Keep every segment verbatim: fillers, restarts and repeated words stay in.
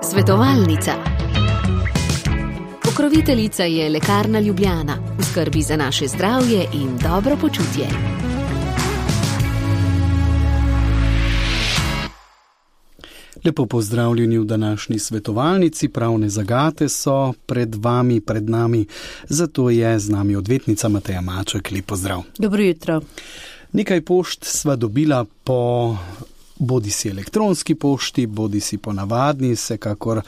Svetovalnica. Pokroviteljica je Lekarna Ljubljana, v skrbi za naše zdravje in dobro počutje. Lepo pozdravljeni v današnji svetovalnici. Pravne zagate so pred vami, pred nami, zato je z nami odvetnica Mateja Maček. Lep pozdrav. Dobro jutro. Nekaj pošt sva dobila po bodi si elektronski pošti, bodi si po navadni, vsekakor,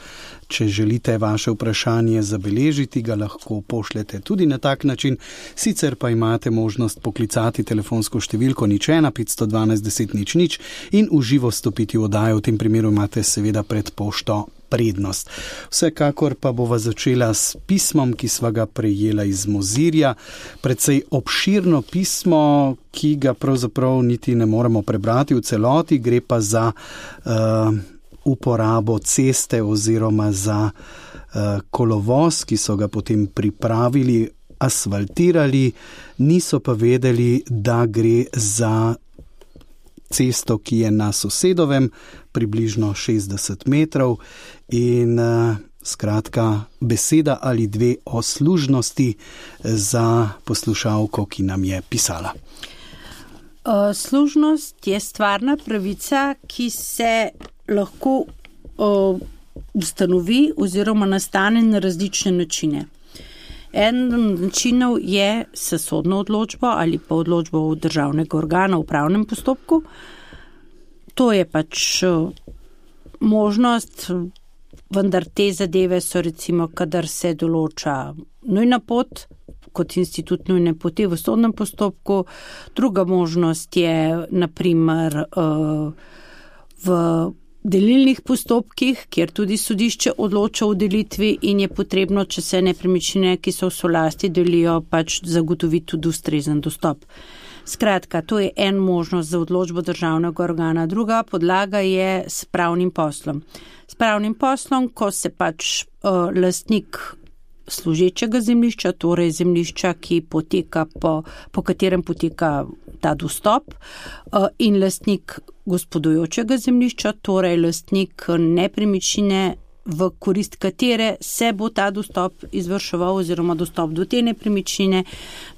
če želite vaše vprašanje zabeležiti, ga lahko pošljete tudi na tak način. Sicer pa imate možnost poklicati telefonsko številko nič ena petsto dvanajst deset nič nič in v živo stopiti v oddajo. V tem primeru imate seveda pred pošto prednost. Vsekakor pa bova začela s pismom, ki sva ga prejela iz Mozirja. Precej obširno pismo, ki ga pravzaprav niti ne moremo prebrati v celoti. Gre pa za uh, uporabo ceste oziroma za uh, kolovoz, ki so ga potem pripravili, asfaltirali, niso pa vedeli, da gre za cesto, ki je na sosedovem, približno šestdeset metrov in uh, skratka beseda ali dve o služnosti za poslušalko, ki nam je pisala. Uh, služnost je stvarna pravica, ki se lahko uh, ustanovi oziroma nastane na različne načine. En načinov je s sodno odločbo ali pa odločbo državnega organa v upravnem postopku. To je pač možnost, vendar te zadeve so recimo, kadar se določa nujna pot, kot institut nujne poti v sodnem postopku. Druga možnost je naprimer v delilnih postopkih, kjer tudi sodišče odloča o delitvi in je potrebno, če se nepremičnine, ki so v solasti delijo, pač zagotoviti tudi ustrezen dostop. Skratka, to je en možnost za odločbo državnega organa. Druga podlaga je s pravnim poslom. S pravnim poslom, ko se pač uh, lastnik služečega zemljišča, torej zemljišča, ki poteka po, po katerem poteka ta dostop, uh, in lastnik gospodujočega zemljišča, torej lastnik nepremičnine, v korist katere se bo ta dostop izvrševal oziroma dostop do te nepremičnine,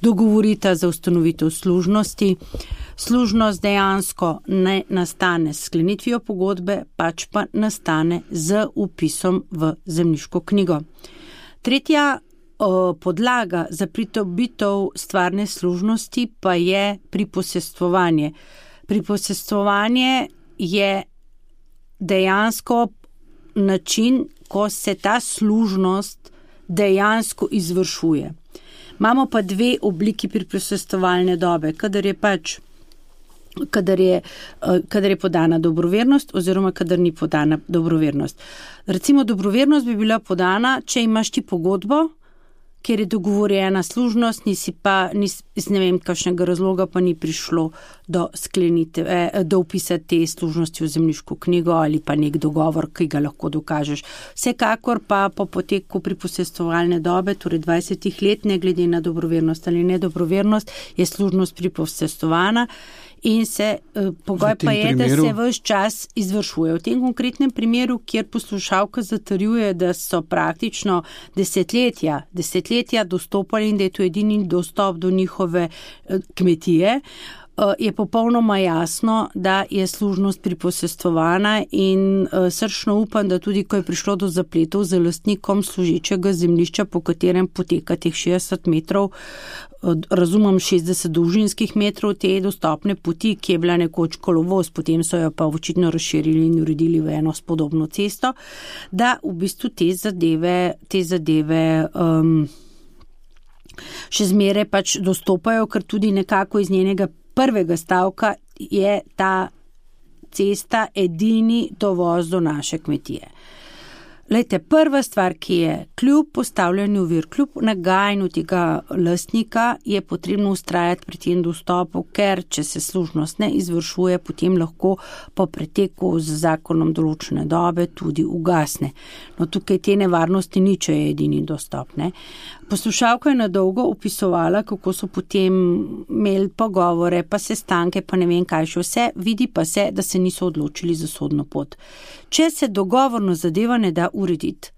dogovorita za ustanovitev služnosti. Služnost dejansko ne nastane s sklenitvijo pogodbe, pač pa nastane z vpisom v zemljiško knjigo. Tretja o, podlaga za pridobitev stvarne služnosti pa je priposestvovanje. Priposestvovanje je dejansko način, ko se ta služnost dejansko izvršuje. Imamo pa dve obliki priposestvovalne dobe, kadar je pač kadar je, kadar je podana dobrovernost oziroma kadar ni podana dobrovernost. Recimo dobrovernost bi bila podana, če imaš ti pogodbo, ker je dogovorjena služnost, nisi pa, nis, iz ne vem kakšnega razloga pa ni prišlo do sklenitve, do vpisa te služnosti v zemljiško knjigo ali pa nek dogovor, ki ga lahko dokažeš. Vsekakor pa po poteku priposestovalne dobe, torej dvajsetih let, ne glede na dobrovernost ali nedobrovernost, je služnost priposestovana in se pogoj pa je, primeru... da se ves čas izvršuje. V tem konkretnem primeru, kjer poslušalka zatrjuje, da so praktično desetletja, desetletja dostopali in da je to edini dostop do njihove kmetije, je popolnoma jasno, da je služnost priposestovana in srčno upam, da tudi, ko je prišlo do zapletov z lastnikom služečega zemljišča, po katerem poteka teh šestdeset metrov, razumem šestdeset dolžinskih metrov te dostopne poti, ki je bila nekoč kolovoz, potem so jo pa očitno razširili in uredili v eno spodobno cesto, da v bistvu te zadeve, te zadeve um, še zmeraj pač dostopajo, ker tudi nekako iz njenega prvega stavka je ta cesta edini dovoz do naše kmetije. Lejte, prva stvar, ki je kljub postavljanju ovir, kljub nagajanju tega lastnika, je potrebno vztrajati pri tem dostopu, ker če se služnost ne izvršuje, potem lahko po preteku z zakonom določene dobe tudi ugasne. No, tukaj te nevarnosti ni, če je edini dostop, ne. Poslušalka je na dolgo opisovala, kako so potem imeli pogovore, pa sestanke, pa ne vem kaj še vse, vidi pa se, da se niso odločili za sodno pot. Če se dogovorno zadeva ne da urediti,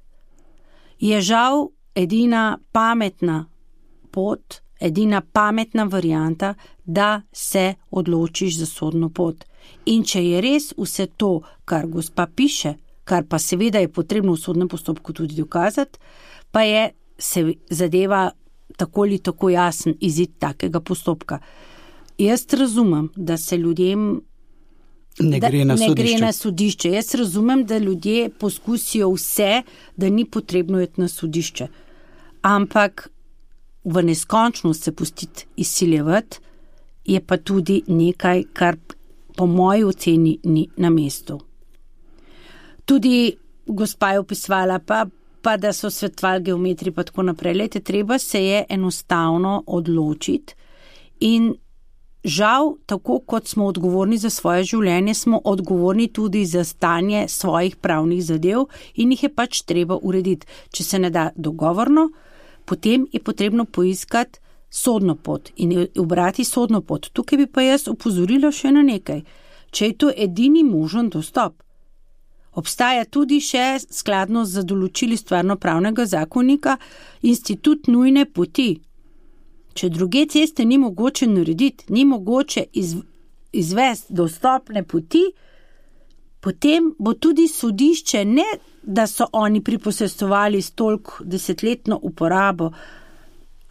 je žal edina pametna pot, edina pametna varianta, da se odločiš za sodno pot. In če je res vse to, kar gospa piše, kar pa seveda je potrebno v sodnem postopku tudi dokazati, pa je se zadeva tako ali tako jasen izid takega postopka. Jaz razumem, da se ljudem ne gre na, ne gre na sodišče. Jaz razumem, da ljudje poskusijo vse, da ni potrebno iti na sodišče. Ampak v neskončnost se pustiti izsiljevati je pa tudi nekaj, kar po moji oceni ni na mestu. Tudi gospa je opisovala pa, pa da so svetovali geometri pa tako naprej. Lejte, treba se je enostavno odločiti in žal, tako kot smo odgovorni za svoje življenje, smo odgovorni tudi za stanje svojih pravnih zadev in jih je pač treba urediti. Če se ne da dogovorno, potem je potrebno poiskati sodno pot in ubrati sodno pot. Tukaj bi pa jaz opozorila še na nekaj. Če je to edini možen dostop, obstaja tudi še skladno z določili stvarnopravnega zakonika institut nujne poti. Če druge ceste ni mogoče narediti, ni mogoče iz, izvesti dostopne poti, potem bo tudi sodišče, ne da so oni priposestovali s toliko desetletno uporabo,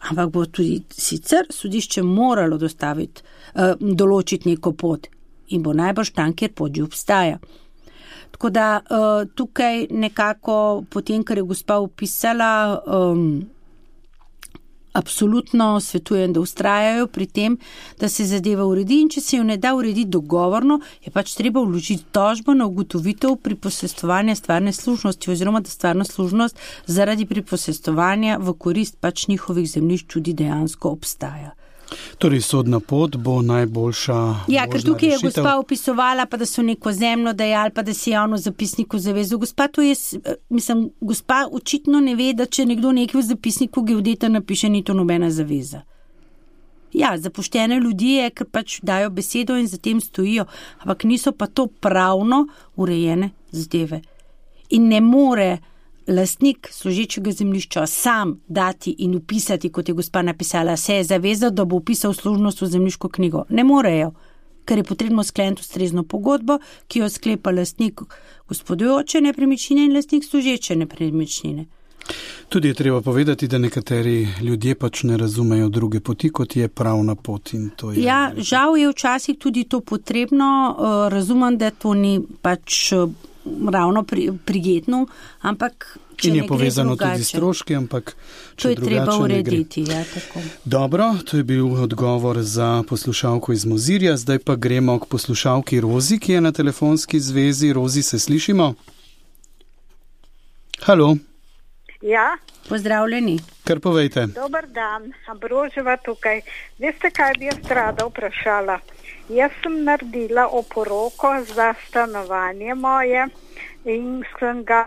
ampak bo tudi sicer sodišče moralo dostaviti, eh, določiti neko pot in bo najbrž tam, kjer pot že obstaja. Tako da eh, tukaj nekako potem, kar je gospa opisala, um, absolutno svetujem, da ustrajajo pri tem, da se zadeva uredi in če se jo ne da urediti dogovorno, je pač treba vložiti tožbo na ugotovitev priposestovanja stvarne služnosti oziroma da stvarna služnost zaradi priposestovanja v korist pač njihovih zemljišč tudi dejansko obstaja. Torej, sodna pot bo najboljša. Ja, ker tukaj je rešitev. Gospa opisovala, pa da so neko zemljo dajali, pa da si javno zapisniku zavezal. Gospa, to je, mislim, gospa očitno ne ve, da če nekdo nekaj v zapisniku geodeta napiše, ni to nobena zaveza. Ja, zapoštene ljudi je, ker pač dajo besedo in za tem stojijo, ampak niso pa to pravno urejene zadeve. In ne more lastnik služečega zemljišča sam dati in upisati, kot je gospa napisala, se je zavezal, da bo upisal služnost v zemljiško knjigo. Ne morejo, ker je potrebno skleniti ustrezno pogodbo, ki jo sklepa lastnik gospodujoče nepremičnine in lastnik služeče nepremičnine. Tudi je treba povedati, da nekateri ljudje pač ne razumejo druge poti, kot je pravna pot. In to je... Ja, žal je včasih tudi to potrebno. Razumem, da to ni pač ravno pri, prijetno, ampak če in je ne povezano gre tudi s stroški, ampak če to je drugače treba urediti. Ne gre. Ja, tako. Dobro, to je bil odgovor za poslušalko iz Mozirja. Zdaj pa gremo k poslušalki Rozi, ki je na telefonski zvezi. Rozi, se slišimo? Halo. Ja. Pozdravljeni. Kar povejte. Dobar dan, Ambroževa tukaj. Veste, kaj bi jaz rada vprašala? Jaz sem naredila oporoko za stanovanje moje in sem ga,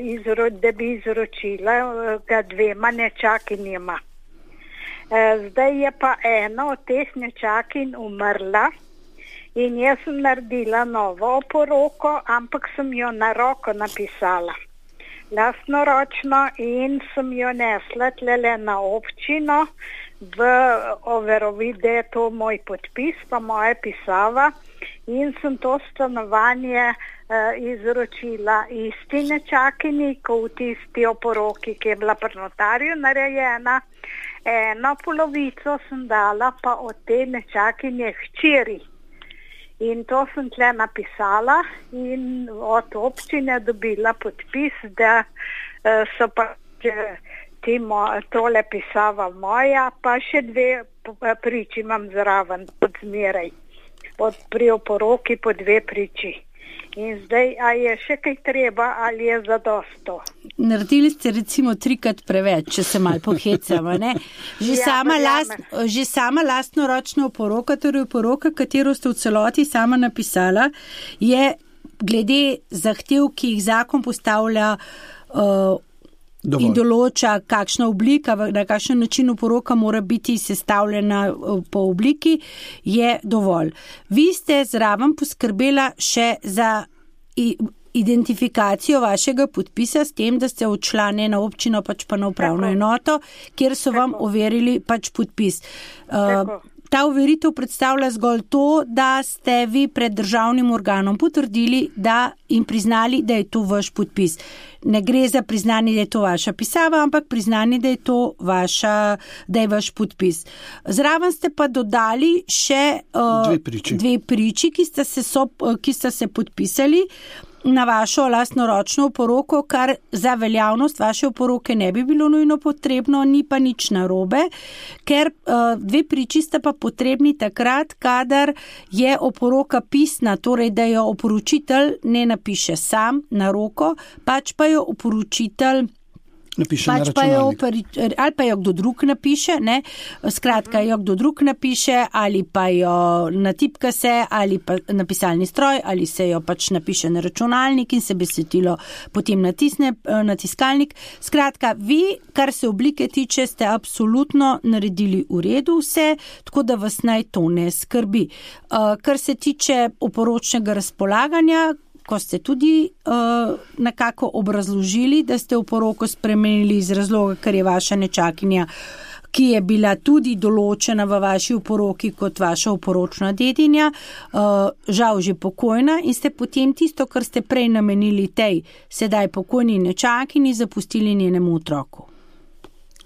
izro, da bi izročila ga dvema nečakinjima. Zdaj je pa ena od teh nečakinj umrla in jaz sem naredila novo oporoko, ampak sem jo na roko napisala. Lastnoročno in sem jo nesla tlele na občino v overovid, da je to moj podpis, pa moja pisava in sem to stanovanje uh, izročila isti nečakini, ko v tisti oporoki, ki je bila pri notarju narejena. Eno polovico sem dala pa od te nečakinje hčeri. In to sem tle napisala in od občine dobila podpis, da uh, so pa timo, tole pisava moja, pa še dve priči imam zraven pod zmeraj. Od pri oporoki po dve priči. In zdaj, a je še kaj treba ali je zadosto? Naredili ste recimo trikrat preveč, če se malo pohecamo, ne? Že, ja, sama last, že sama lastnoročna oporoka, torej oporoka, katero ste v celoti sama napisala, je glede zahtev, ki jih zakon postavlja, uh, Dovolj. In določa, kakšna oblika, na kakšen način oporoka mora biti sestavljena po obliki, je dovolj. Vi ste zraven poskrbela še za identifikacijo vašega podpisa s tem, da ste odšla ne na občino, pač pa na upravno enoto, kjer so vam overili pač podpis. Uh, Ta overitev predstavlja zgolj to, da ste vi pred državnim organom potrdili da in priznali, da je to vaš podpis. Ne gre za priznanje, da je to vaša pisava, ampak priznanje, da je to vaša, da je vaš podpis. Zraven ste pa dodali še uh, dve priči, dve priči ki, sta se so, ki sta se podpisali na vašo lastnoročno oporoko, kar za veljavnost vaše oporoke ne bi bilo nujno potrebno, ni pa nič narobe, ker uh, dve priči sta pa potrebni takrat, kadar je oporoka pisna, torej da jo oporočitelj ne napiše sam na roko, pač pa jo oporočitelj napiše pač na pa jo, računalnik. ali pa jo kdo drug napiše, ne? Skratka, jo kdo drug napiše, ali pa jo natipka se, ali pa na pisalni stroj, ali se jo pač napiše na računalnik in se besedilo potem natisne na tiskalnik. Skratka, vi, kar se oblike tiče, ste absolutno naredili v redu vse, tako da vas naj to ne skrbi. Kar se tiče oporočnega razpolaganja, ko ste tudi uh, nekako obrazložili, da ste oporoko spremenili iz razloga, ker je vaša nečakinja, ki je bila tudi določena v vaši oporoki kot vaša oporočna dedinja, uh, žal že pokojna in ste potem tisto, kar ste prej namenili tej sedaj pokojni nečakini, zapustili njenemu otroku.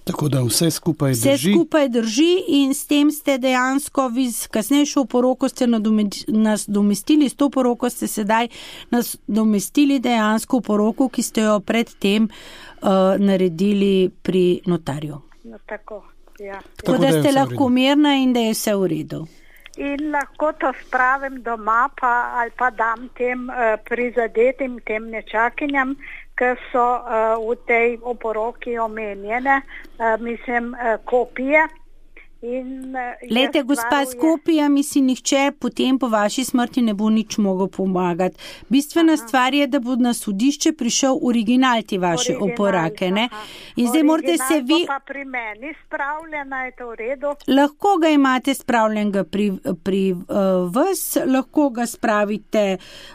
Tako da vse skupaj vse drži. Vse skupaj drži in s tem ste dejansko, vi z kasnejšo oporoko ste nadomestili, s to oporoko ste sedaj nadomestili dejansko oporoko, ki ste jo predtem uh, naredili pri notarju. No, tako, ja. Tako, tako da, da ste lahko mirna in da je vse v redu. In lahko to spravim doma pa, ali pa dam tem uh, prizadetim, tem nečakinjam, ki so uh, v tej oporoki omenjene, uh, mislim, uh, kopije. In, uh, Lejte, gospa, s kopijami si nihče potem po vaši smrti ne bo nič mogel pomagati. Bistvena aha. stvar je, da bo na sodišče prišel original te vaše original, oporake. Ne? In zdaj morate se vi... pa pri meni spravljena, je to v redu? Lahko ga imate spravljenega pri, pri uh, vas, lahko ga spravite,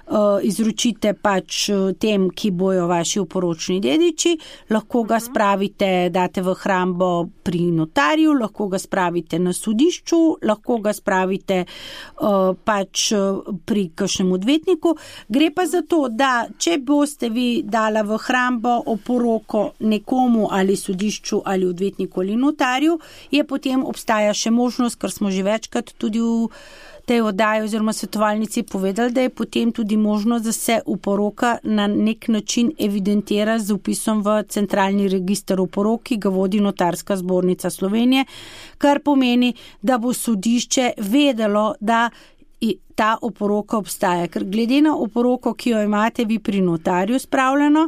uh, izročite pač tem, ki bojo vaši oporočni dediči, lahko ga uh-huh. spravite, date v hrambo pri notarju, lahko ga spravite na sodišču, lahko ga spravite uh, pač pri kakšnem odvetniku. Gre pa za to, da če boste vi dala v hrambo oporoko nekomu ali sodišču ali odvetniku ali notarju, je potem obstaja še možnost, kar smo že večkrat tudi v tej oddaji oziroma svetovalnici povedali, da je potem tudi možnost, da se oporoka na nek način evidentira z upisom v centralni register oporok, ki ga vodi Notarska zbornica Slovenije, kar pomeni, da bo sodišče vedelo, da ta oporoka obstaja. Ker glede na oporoko, ki jo imate vi pri notarju spravljeno,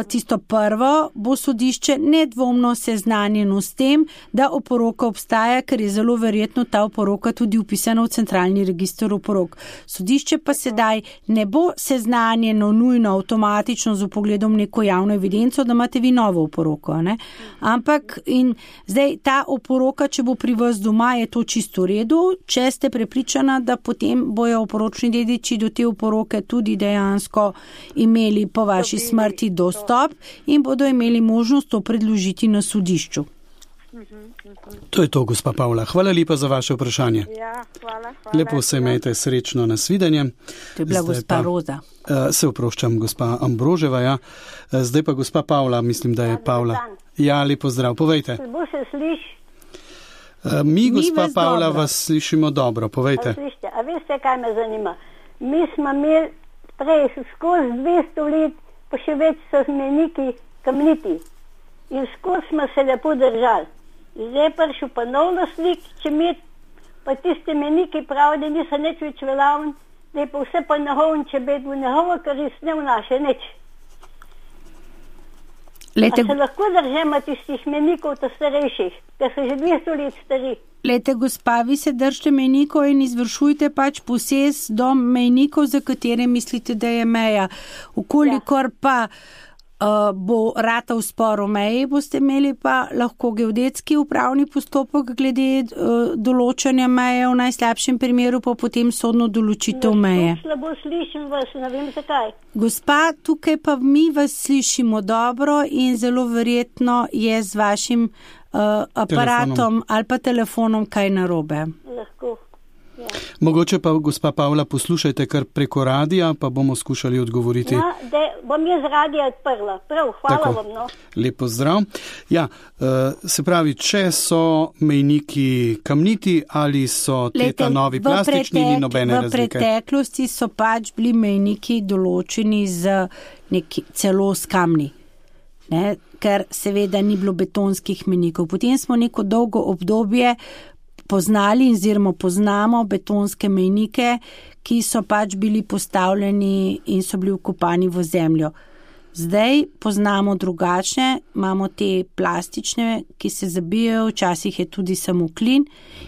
tisto prvo, bo sodišče nedvomno seznanjeno s tem, da oporoka obstaja, ker je zelo verjetno ta oporoka tudi upisana v centralni register oporok. Sodišče pa sedaj ne bo seznanjeno nujno avtomatično z vpogledom neko javno evidenco, da imate vi novo oporoko, ne? Ampak in zdaj ta oporoka, če bo pri vas doma, je to čisto v redu, če ste prepričana, da potem bojo oporočni dediči do te oporoke tudi dejansko imeli po vaši smrti dostop in bodo imeli možnost to predložiti na sodišču. To je to, gospa Pavla. Hvala lepa za vaše vprašanje. Ja, hvala, hvala. Lepo se imejte, srečno, nasvidenje. To je bila Zdaj gospa pa, Roza. Uh, se oproščam, gospa Ambroževa, ja. Uh, zdaj pa gospa Pavla, mislim, da je ja, Pavla. Ja, lepo zdrav, povejte. Bo se sliš? Uh, mi, Mi gospa vas Pavla, dobro. vas slišimo dobro, povejte. A, slište, a veste, kaj me zanima? Mi smo imeli prej skozi dvesto let, pa še več so zmeniki kamniti. In skozi smo se lepo držali. Zdaj prišel pa nov naslik, če mi pa tiste meniki pravi, da niso nič več veljavni, da je pa vse pa nahovn, če bi v nahovo, kar je ne vnaše nič. Lete, A se lahko držimo tistih menikov, to starejših, ker so že dvesto let stari. lete, gospa, vi se držite mejnikov in izvršujte pač posest do mejnikov, za katere mislite, da je meja. Ukolikor pa Uh, bo ratal spor o meji, boste imeli pa lahko geodetski upravni postopek glede uh, določanja meje, v najslabšem primeru pa potem sodno določitev meje. Slabo slišim vas, ne vem zakaj. Gospa, tukaj pa mi vas slišimo dobro in zelo verjetno je z vašim uh, aparatom telefonom. Ali pa telefonom kaj narobe. Lahko. Ja. Mogoče pa, gospa Pavla, poslušajte kar preko radija, pa bomo skušali odgovoriti. Ja, da bom jaz radija odprla. Prav, hvala Tako. vam. No. Lepo zdrav. Ja, se pravi, če so mejniki kamniti ali so teta novi plastični, ni nobene razlike. V preteklosti so pač bili mejniki določeni z neki, celo s kamni, ne? Ker seveda ni bilo betonskih mejnikov. Potem smo neko dolgo obdobje poznali oziroma poznamo betonske mejnike, ki so pač bili postavljeni in so bili vkopani v zemljo. Zdaj poznamo drugačne, imamo te plastične, ki se zabijajo, včasih je tudi samo klin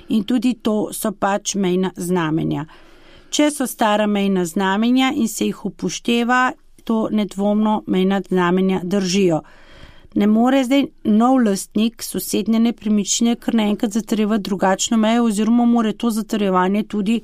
in tudi to so pač mejna znamenja. Če so stara mejna znamenja in se jih upošteva, to nedvomno mejna znamenja držijo. Ne more zdaj nov lastnik sosednje nepremičnine kar naenkrat zatrjevati drugačno mejo oziroma more to zatrjevanje tudi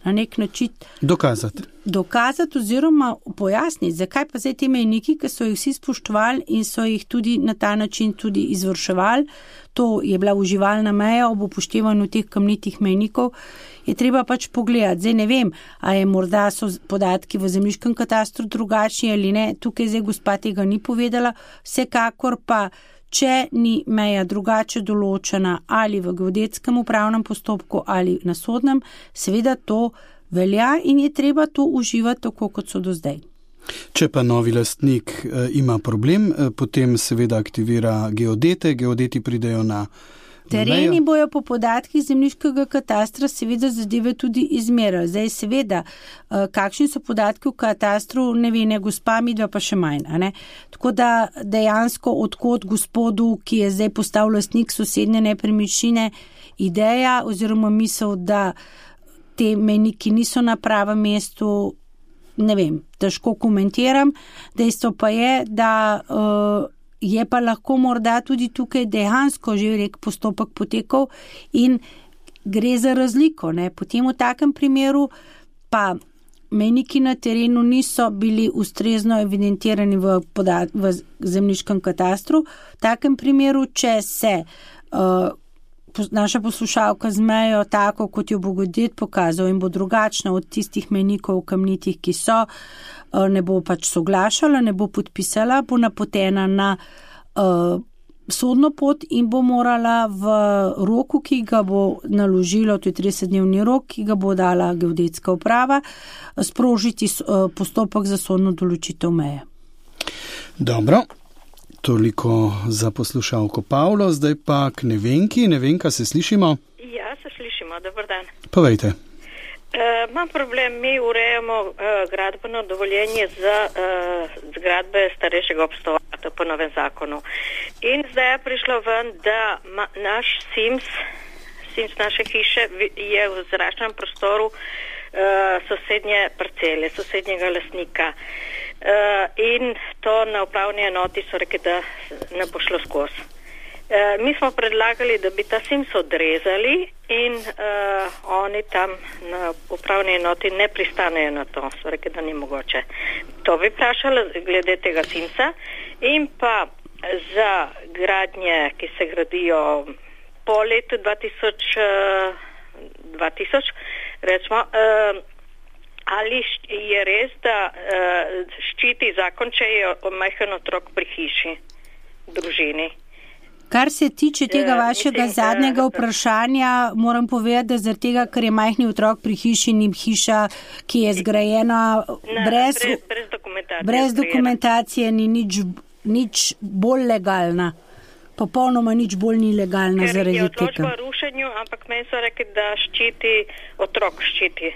na nek način dokazati. Dokazati oziroma pojasniti, zakaj pa zdaj te mejniki, ki so jih vsi spoštovali in so jih tudi na ta način tudi izvrševali, to je bila uživalna meja ob upoštevanju teh kamnitih mejnikov, je treba pač pogledati. Zdaj ne vem, a je morda so podatki v zemljiškem katastru drugačni ali ne, tukaj zdaj gospa tega ni povedala, vsekakor pa, če ni meja drugače določena ali v geodetskem upravnem postopku ali na sodnem, seveda to velja in je treba to uživati tako, kot so do zdaj. Če pa novi lastnik e, ima problem, e, potem seveda aktivira geodete, geodeti pridejo na tereni, bojo po podatkih zemljiškega katastra seveda zadeve tudi izmerali. Zdaj seveda, kakšni so podatki v katastru, ne ve, ne gospa, midva pa še manj. A ne? Tako da dejansko odkot gospodu, ki je zdaj postal lastnik sosednje nepremičnine, ideja oziroma misel, da te mejniki niso na pravem mestu, ne vem, težko komentiram. Dejstvo pa je, da uh, je pa lahko morda tudi tukaj dejansko že rek postopek potekal in gre za razliko. Ne? Potem v takem primeru pa mejniki na terenu niso bili ustrezno evidentirani v, podat- v zemljiškem katastru. V takem primeru, če se uh, naša poslušalka z mejo tako, kot jo bo geodet pokazal in bo drugačna od tistih mejnikov kamnitih, ki so, ne bo pač soglašala, ne bo podpisala, bo napotena na uh, sodno pot in bo morala v roku, ki ga bo naložilo, to je tridesetdnevni rok, ki ga bo dala geodetska uprava, sprožiti uh, postopek za sodno določitev meje. Dobro. Toliko za poslušalko Pavlo, zdaj pa k Nevenki. Nevenka, se slišimo? Ja, se slišimo, dober dan. Povejte. Uh, imam problem, mi urejamo uh, gradbeno dovoljenje za uh, zgradbe starejšega obstoja po novem zakonu. In zdaj je prišlo ven, da ma, naš Sims, Sims naše hiše je v zračnem prostoru uh, sosednje parcele, sosednjega lastnika. Uh, in to na upravni enoti so rekli, da ne bo šlo skozi. Uh, mi smo predlagali, da bi ta Sims odrezali in uh, oni tam na upravni enoti ne pristanejo na to. So rekli, da ni mogoče. To bi vprašala glede tega Simsa in pa za gradnje, ki se gradijo po letu dva tisoč, dva tisoč recimo, uh, ali je res, da uh, ščiti zakon, če je majhen otrok pri hiši, družini? Kar se tiče tega vašega mislim, zadnjega vprašanja, moram povedati, da zaradi tega, ker je majhni otrok pri hiši, ni hiša, ki je zgrajena na, brez, brez, brez dokumentacije, brez dokumentacije ni nič, nič bolj legalna. Popolnoma nič bolj ni legalna ker zaradi tega. Ker je odločba o rušenju, ampak meni so rekli, da ščiti, otrok ščiti.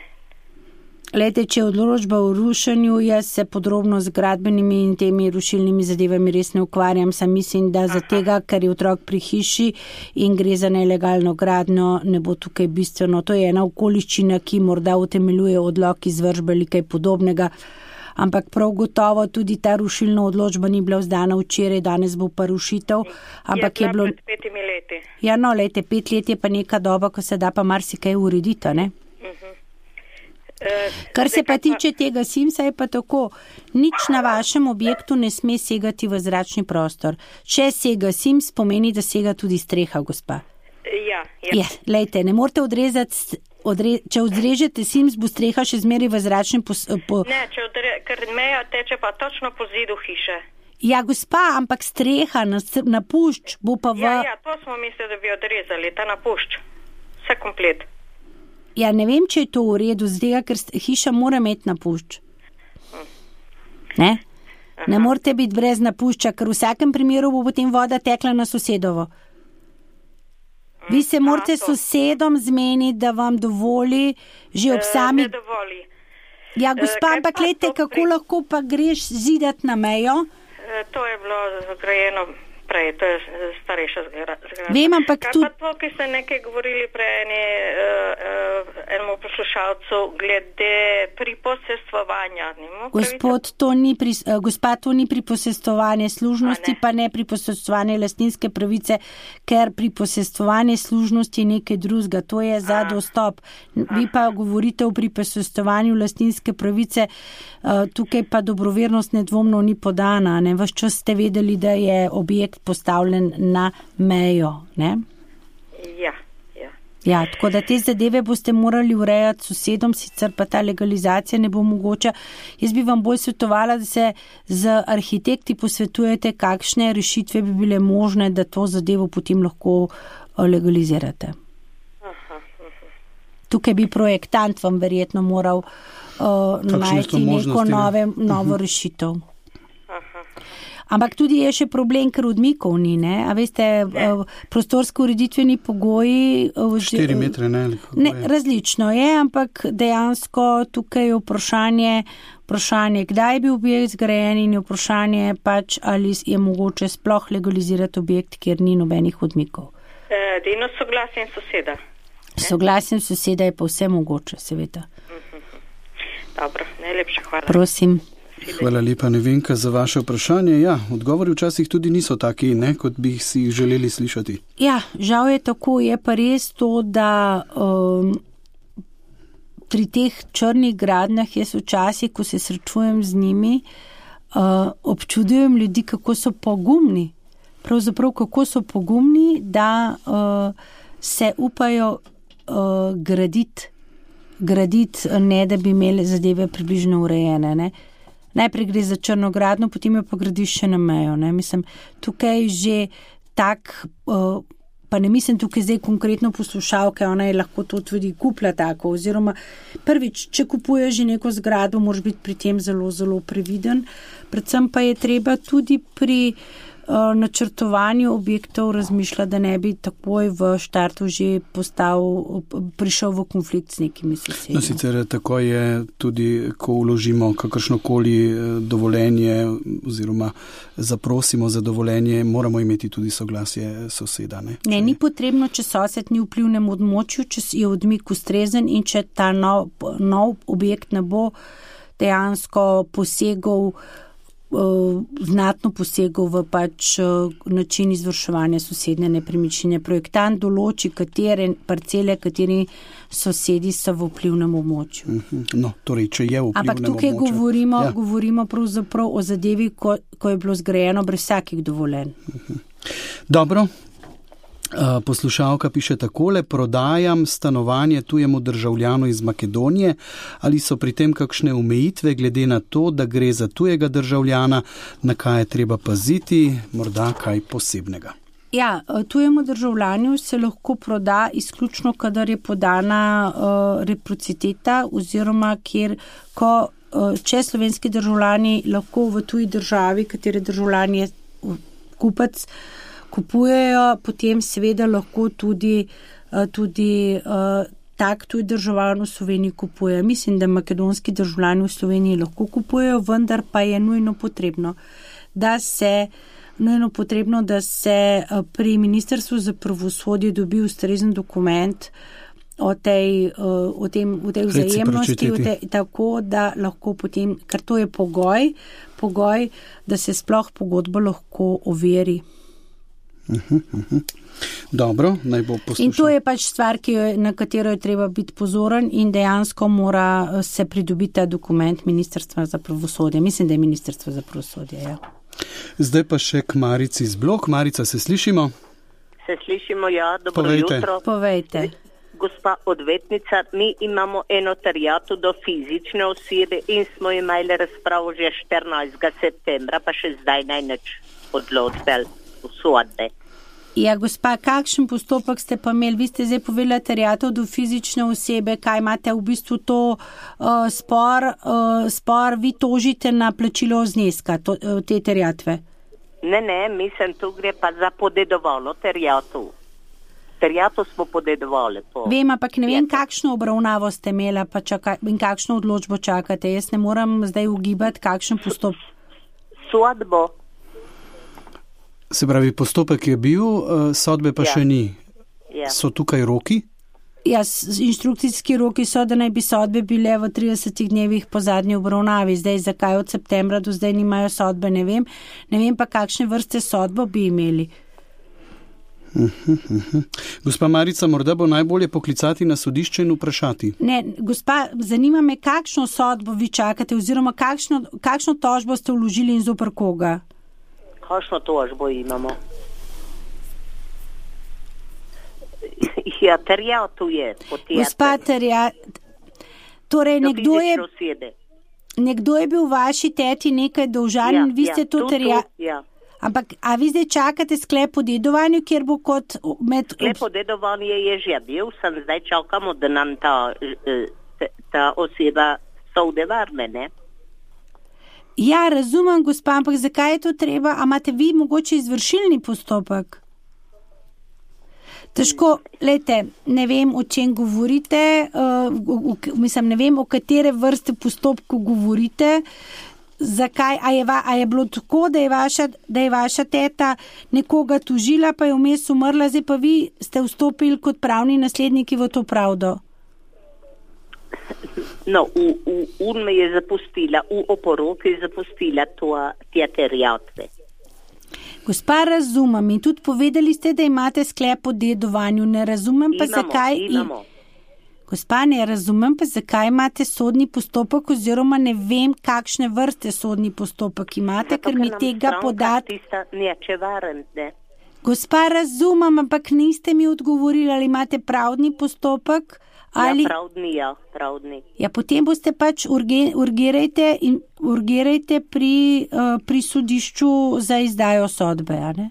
Glejte, če je odločba o rušenju, jaz se podrobno z gradbenimi in temi rušilnimi zadevami res ne ukvarjam, sam mislim, da za tega, ker je otrok pri hiši in gre za nelegalno gradnjo, ne bo tukaj bistveno. To je ena okoliščina, ki morda utemeljuje odlok izvršbe ali kaj podobnega, ampak prav gotovo tudi ta rušilna odločba ni bila vzdana včeraj, danes bo pa rušitev. Ampak je, je bilo. Pred petimi leti. Ja, no, lejte, pet let je pa neka doba, ko se da pa marsikaj urediti, ne? Uh-huh. Uh, Kar se pa tiče tega Simsa, je pa tako, nič na vašem objektu ne sme segati v zračni prostor. Če sega Sims, pomeni, da sega tudi streha, gospa. Ja, ja. Ja, lejte, ne morete odrezati, odre, če odrežete Sims, bo streha še zmeri v zračni pos, po... Ne, če odre, ker meja teče pa točno po zidu hiše. Ja, gospa, ampak streha na, na pušč bo pa v... Ja, ja, to smo mislili, da bi odrezali, ta na pušč. Vse komplet. Ja, ne vem, če je to v redu, zdaj, ker hiša mora imeti napušč. Ne? Ne morate biti brez napušča, ker v vsakem primeru bo potem voda tekla na sosedovo. Vi se morate s sosedom zmeniti, da vam dovoli že ob sami... Ne dovoli. Ja, gospa, ampak gledajte, kako pri... lahko pa greš zidat na mejo? To je bilo zgrajeno prej, to je starejša zgradba. Vem, ampak Kaj tudi... pa to, ki ste nekaj govorili prej eni, uh, uh, enemu poslušalcu glede priposestvovanja. Gospod, to ni pri, uh, gospa, to ni priposestvovanje služnosti, ne. Pa ne priposestvovanje lastninske pravice, ker priposestvovanje služnosti je nekaj drugega, to je za A. dostop. Vi pa govorite o priposestvovanju lastninske pravice, uh, tukaj pa dobrovernost nedvomno ni podana. Ne? Vaš čas ste vedeli, da je objekt postavljen na mejo, ne? Ja, ja. Ja, tako da te zadeve boste morali urejati s sosedom, sicer pa ta legalizacija ne bo mogoča. Jaz bi vam bolj svetovala, da se z arhitekti posvetujete, kakšne rešitve bi bile možne, da to zadevo potem lahko legalizirate. Aha, aha. Tukaj bi projektant vam verjetno moral uh, najti neko nove, novo rešitev. Ampak tudi je še problem, ker odmikov ni, ne? A veste, prostorsko ureditveni pogoji... Štiri metre, ne? Ne, različno je, ampak dejansko tukaj je vprašanje, vprašanje, kdaj je bil objekt zgrajen in je vprašanje pač, ali je mogoče sploh legalizirati objekt, kjer ni nobenih odmikov. Edino soglasjem soseda. Soglasjem soseda je pa vse mogoče, seveda. Dobro, najlepša hvala. Prosim. Hvala lepa, Nevenka, za vaše vprašanje. Ja, odgovori včasih tudi niso taki, ne, kot bi si jih želeli slišati. Ja, žal je tako, je pa res to, da um, pri teh črnih gradnjah jaz včasih, ko se srečujem z njimi, uh, občudujem ljudi, kako so pogumni. Pravzaprav, kako so pogumni, da uh, se upajo uh, graditi, graditi, ne da bi imeli zadeve približno urejene, ne. Najprej gre za črnogradno, potem jo pa gradiš še na mejo. Ne? Mislim, tukaj že tak, uh, pa ne mislim tukaj zdaj konkretno poslušalke, ona je lahko to tudi kupila tako, oziroma prvič, če kupuješ že neko zgradbo, moraš biti pri tem zelo, zelo previden. Predvsem pa je treba tudi pri uh, načrtovanju objektov razmišljati, da ne bi takoj v štartu že postal, prišel v konflikt s nekimi sosedi. No, sicer tako je tudi, ko vložimo kakršnokoli dovoljenje oziroma zaprosimo za dovoljenje, moramo imeti tudi soglasje soseda. Ne, ne ni potrebno, če sosed ni v vplivnem območju, če je odmik ustrezen in če ta nov, nov objekt ne bo dejansko posegal Uh, znatno posegel v pač uh, način izvrševanja sosednje nepremičnine. Projektant določi, katere parcele, kateri sosedi so v vplivnem območju. No, torej, če je v vplivnem območju. Ampak tukaj območju, govorimo, ja. govorimo pravzaprav o zadevi, ko, ko je bilo zgrajeno brez vsakih dovoljenj. Dobro. Poslušalka piše takole: prodajam stanovanje tujemu državljanu iz Makedonije. Ali so pri tem kakšne omejitve glede na to, da gre za tujega državljana, na kaj je treba paziti, morda kaj posebnega? Ja, tujemu državljanju se lahko proda izključno, kadar je podana uh, reciprociteta oziroma kjer, ko, uh, če slovenski državljani lahko v tuji državi, katere državljan je kupec, kupujejo, potem seveda lahko tudi, tudi uh, tak tuj državljan v Sloveniji kupuje. Mislim, da makedonski državljani v Sloveniji lahko kupujejo, vendar pa je nujno potrebno, da se, nujno potrebno, da se pri Ministrstvu za pravosodje dobi ustrezen dokument o tej, o tem, o tej vzajemnosti, o tej, tako da lahko potem, ker to je pogoj, pogoj, da se sploh pogodbo lahko overi. Uh-huh, uh-huh. Dobro, naj bo poslušal. In to je pač stvar, ki je, na katero je treba biti pozoren in dejansko mora se pridobiti ta dokument Ministrstva za pravosodje. Mislim, da je Ministrstvo za pravosodje, ja. Zdaj pa še k Marici iz Blok. Marica, se slišimo? Se slišimo, ja. Dobro Povejte. jutro. Povejte. Gospa odvetnica, mi imamo eno terjato do fizične osebe in smo imeli razpravo že štirinajstega septembra, pa še zdaj naj nič odločbe v sodbe. Ja, gospa, kakšen postopek ste pa imeli? Vi ste zdaj povedali terjatev do fizične osebe, kaj imate v bistvu to uh, spor, uh, spor, vi tožite na plačilo zneska to, uh, te terjatve? Ne, ne, mislim, tu gre pa za podedovalo terjato. Terjato smo podedovali. Po... Vem, ampak ne vem, kakšno obravnavo ste imela pa čaka, in kakšno odločbo čakate. Jaz ne moram zdaj ugibati, kakšen postopek. Sodbo. Se pravi, postopek je bil, sodbe pa ja. še ni. Ja. So tukaj roki? Ja, inštrukcijski roki so, da naj bi sodbe bile v tridesetih dnevih po zadnji obravnavi. Zdaj, zakaj od septembra do zdaj nimajo sodbe, ne vem. Ne vem pa, kakšne vrste sodbo bi imeli. Uh-huh, uh-huh. Gospa Marica, morda bo najbolje poklicati na sodišče in vprašati. Ne, gospa, zanima me, kakšno sodbo vi čakate oziroma kakšno, kakšno tožbo ste vložili in zoper koga? Kakšno tožbo imamo? Ja, terjato je. Gospa, terjato. Torej, nekdo je, nekdo je bil v vaši teti nekaj dolžan in ja, vi ste ja, to terjato. Ja. Ampak, a vi zdaj čakate sklep o dedovanju, kjer bo kot med... Sklep o dedovanju je že bil, sem zdaj čakamo, da nam ta, ta oseba sode varne, ne? Ja, razumem, gospa, ampak zakaj je to treba? A imate vi mogoče izvršilni postopek? Težko, lejte, ne vem, o čem govorite, uh, v, v, mislim, ne vem, o katere vrste postopku govorite, zakaj, a je, va, a je bilo tako, da je, vaša, da je vaša teta nekoga tužila, pa je vmes umrla, zdaj pa vi ste vstopili kot pravni nasledniki v to pravdo? No, u, u, un me je zapustila, u oporoki je zapustila to, te terjatve. Gospa, razumem in tudi povedali ste, da imate sklep o dedovanju, ne razumem pa imamo, zakaj... Imamo. Gospa, ne razumem pa zakaj imate sodni postopek oziroma ne vem, kakšne vrste sodni postopek imate, zato, ker mi tega podati... Neče varen, ne? Gospa, razumem, ampak niste mi odgovorili, ali imate pravni postopek... Ali... Ja, pravdni, ja, pravdni. Ja, potem boste pač urge, urgirajte, in, urgirajte pri, uh, pri sodišču za izdajo sodbe, a ne?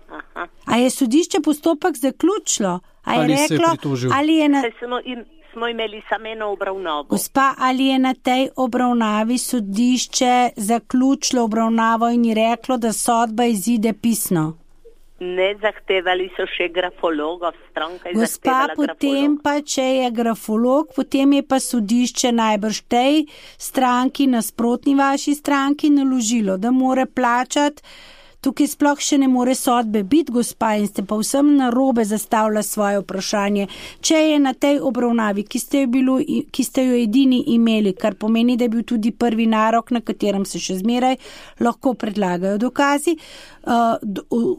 Aha. A je sodišče postopek zaključilo? A je ali reklo, se je pritožil? Ali je na... Smo, im, smo imeli samo eno obravnavo. Gospa, ali je na tej obravnavi sodišče zaključilo obravnavo in je reklo, da sodba izide pisno? Ne, zahtevali so še grafologa, stranka je Gospa, zahtevala grafolog. Gospa, potem pa, če je grafolog, potem je pa sodišče najbrž tej stranki, nasprotni vaši stranki, naložilo, da more plačati. Tukaj sploh še ne more sodbe biti, gospa, in ste pa vsem narobe zastavila svoje vprašanje. Če je na tej obravnavi, ki ste, jo bilo, ki ste jo edini imeli, kar pomeni, da je bil tudi prvi narok, na katerem se še zmeraj lahko predlagajo dokazi, uh,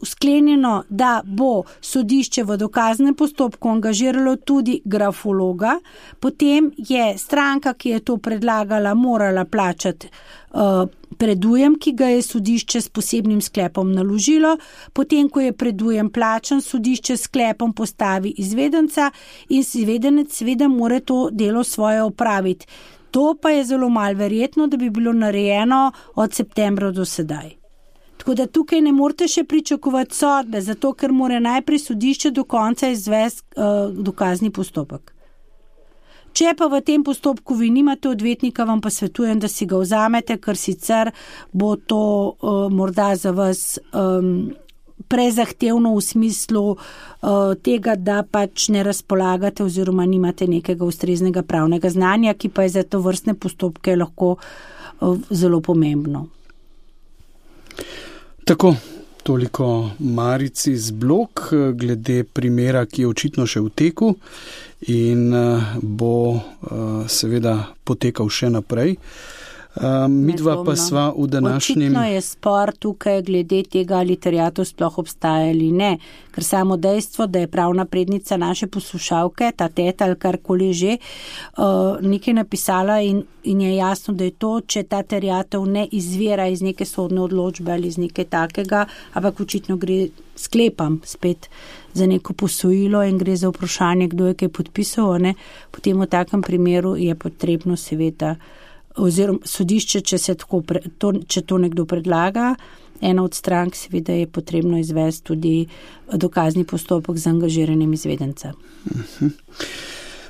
sklenjeno, da bo sodišče v dokaznem postopku angažiralo tudi grafologa, potem je stranka, ki je to predlagala, morala plačati uh, predujem, ki ga je sodišče s posebnim sklepom naložilo, potem, ko je predujem plačan, sodišče s sklepom postavi izvedenca in izvedenec seveda mora to delo svoje opraviti. To pa je zelo malo verjetno, da bi bilo narejeno od septembra do sedaj. Tako da tukaj ne morete še pričakovati sodbe, zato ker mora najprej sodišče do konca izvesti uh, dokazni postopek. Če pa v tem postopku vi nimate odvetnika, vam pa svetujem, da si ga vzamete, ker sicer bo to uh, morda za vas um, prezahtevno v smislu uh, tega, da pač ne razpolagate oziroma nimate nekega ustreznega pravnega znanja, ki pa je za to vrstne postopke lahko uh, zelo pomembno. Tako, Toliko Marici z Blok glede primera, ki je očitno še v teku in bo seveda potekal še naprej. Midva pa sva v današnjem... Očitno je spor tukaj glede tega, ali terjatev sploh obstaja ali ne, ker samo dejstvo, da je pravna prednica naše poslušalke, ta teta ali karkoli že, nekaj napisala in, in je jasno, da je to, če ta terjatev ne izvira iz neke sodne odločbe ali iz nekaj takega, ampak očitno gre, sklepam spet, za neko posojilo in gre za vprašanje, kdo je kaj podpisal, ne? Potem v takem primeru je potrebno seveda oziroma sodišče, če se tako, to, če to nekdo predlaga, ena od strank seveda je potrebno izvesti tudi dokazni postopek z angažiranjem izvedenca. Uh-huh.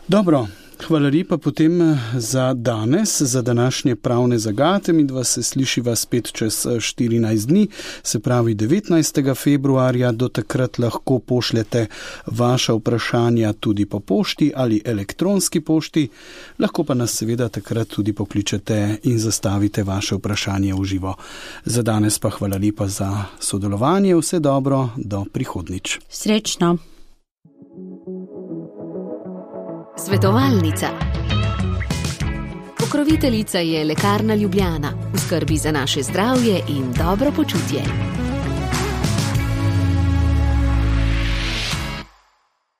Dobro, hvala lepa potem za danes, za današnje pravne zagate. Midva se slišiva spet čez štirinajst dni, se pravi devetnajstega februarja. Do takrat lahko pošljete vaša vprašanja tudi po pošti ali elektronski pošti. Lahko pa nas seveda takrat tudi pokličete in zastavite vaše vprašanje v živo. Za danes pa hvala lepa za sodelovanje. Vse dobro, do prihodnič. Srečno. Svetovalnica. Pokroviteljica je Lekarna Ljubljana. V skrbi za naše zdravje in dobro počutje.